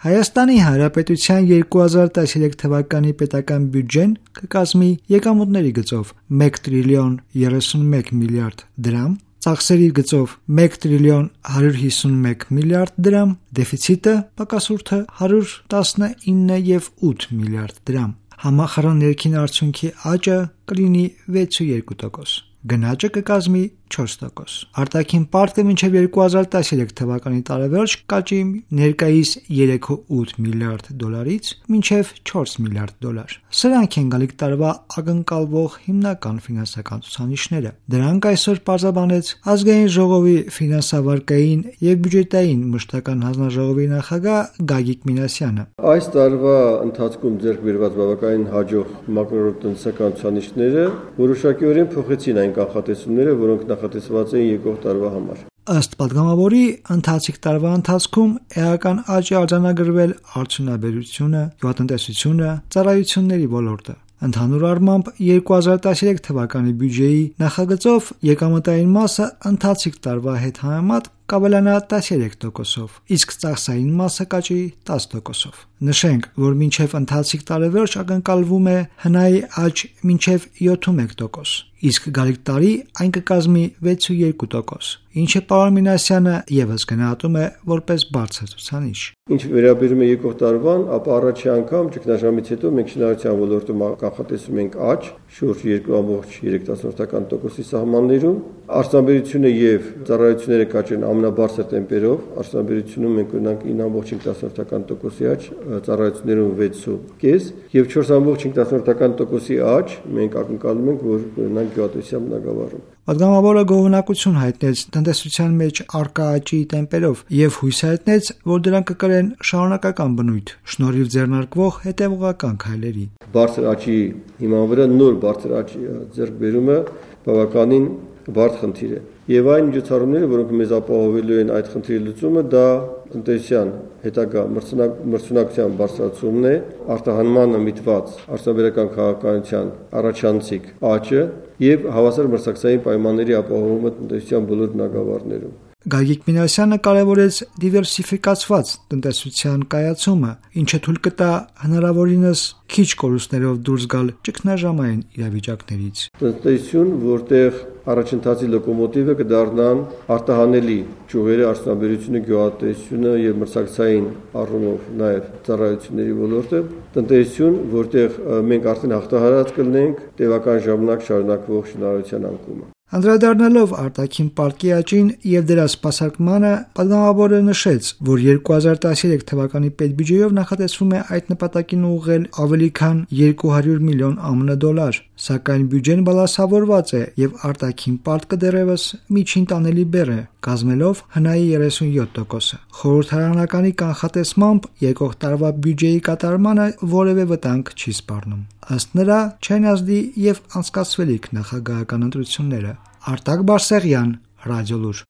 Հայաստանի Հանրապետության 2013 թվականի պետական բյուջեն կկազմի եկամուտների գծով 1 տրիլիոն 31 միլիարդ դրամ, ծախսերի գծով 1 տրիլիոն 151 միլիարդ դրամ, դեֆիցիտը պակասուրդը 119.8 միլիարդ դրամ։ Համախառն ներքին արդյունքի աճը կլինի 6.2%, գնաճը կկազմի 4%։ Արտաքին պարտքը մինչև 2013 թվականի տարեվերջ կաճի ներկայիս 3.8 միլիարդ դոլարից մինչև 4 միլիարդ դոլար։ Սրանք են գալիք տարվա ակնկալվող հիմնական ֆինանսական ցուցանիշները։ Դրանք այսօր պարզաբանեց Ազգային ժողովի ֆինանսավարկային եւ բյուջետային մշտական հանձնաժողովի նախագահ Գագիկ Մինասյանը։ Այս տարվա ընթացքում ձեռք բերված բավականին հաջող մակրոտնտեսական ցուցանիշները որոշակիորեն փոխեցին այն կանխատեսումները, որոնք նախատեսված էին եկող տարվա համար։ Ըստ պատգամավորի, ընթացիկ տարվա ընթացքում էական աճ է արձանագրվել արդյունաբերությունը, գյուղատնտեսությունը, ծառայությունների ոլորտը։ Ընդհանուր առմամբ 2013 թվականի բյուջեի նախագծով եկամտային մասը ընթացիկ տարվա հետ համեմատ կավելանա 13%, իսկ ծախսային մասը կաճի 10%։ Նշենք, որ մինչև ընթացիկ տարեվերջ ակնկալվում է ՀՆԱ-ի աճ մինչև 71%, իսկ գալիք տարի այն կկազմի 6.2%, ինչը պարոն Մինասյանը ևս գնահատում է որպես բարձր ցուցանիշ։ Ինչ վերաբերում է եկող տարվան, ապա առաջի անգամ ճգնաժամից հետո մենք շինարարության ոլորտում կանխատեսում ենք աճ շուրջ 2.3% սահմաններում։ Արտադրությունը եւ ծառայությունները կաճեն ամենաբարձր տեմպերով, արտադրությունում մենք ունենք 9.5% աճ, ծառայություններում 6.5% եւ 4.5% աճ մենք ակնկալում ենք, որ ունենանք գյուղատնտեսության բնագավառում։ Պատգամավորը գոհունակություն հայտնեց տնտեսության մեջ առկա աճի տեմպերով եւ հույս հայտնեց, որ դրանք կկրեն շարունակական բնույթ, շնորհիվ ձեռնարկվող հետեւողական քայլերի։ Բարձր աճի հիման վրա նոր բարձր աճի ձեռքբերումը բավականին բարդ խնդիր է։ Եվ այն միջոցառումները, որոնք մեզ ապահովելու են այդ խնդրի լուծումը, դա տնտեսության հետագա մրցունակության բարձրացումն է, արտահանմանը միտված արտադրական քաղաքականության առաջանցիկ աճը եւ հավասար մրցակցային պայմանների ապահովումը տնտեսության բոլոր բնագավառներում։ Գագիկ Մինասյանը կարևորեց դիվերսիֆիկացված տնտեսության կայացումը, ինչը թույլ կտա հնարավորինս քիչ կորուստներով դուրս գալ ճգնաժամային իրավիճակներից։ Տնտեսություն, որտեղ առաջընթացի լոկոմոտիվը կդառնան արտահանելի ճյուղերի արդյունաբերությունը, գյուղատնտեսությունը եւ մրցակցային առումով նաեւ ծառայությունների ոլորտը, տնտեսություն, որտեղ մենք արդեն հաղթահարած կլինենք տևական ժամանակ շարունակվող շինարարության անկումը։ Անդրադառնալով արտաքին պարտքի աճին եւ դրա սպասարկմանը, պատգամավորը նշեց, որ 2013 թվականի պետբյուջեով նախատեսվում է այդ նպատակին ուղղել ավելի քան 200 միլիոն ԱՄՆ դոլար, սակայն բյուջեն բալանսավորված է եւ արտաքին պարտքը դեռևս միջին տանելի բեռ է, կազմելով ՀՆԱ-ի 37%-ը։ Խորհրդարանականի կանխատեսմամբ եկող տարվա բյուջեի կատարմանը որևէ վտանգ չի սպառնում։ Ըստ նրա, չեն ազդի եւ անցկացվելիք նախագահական ընտրությունները։ Արտակ Բարսեղյան, Ռադիոլուր։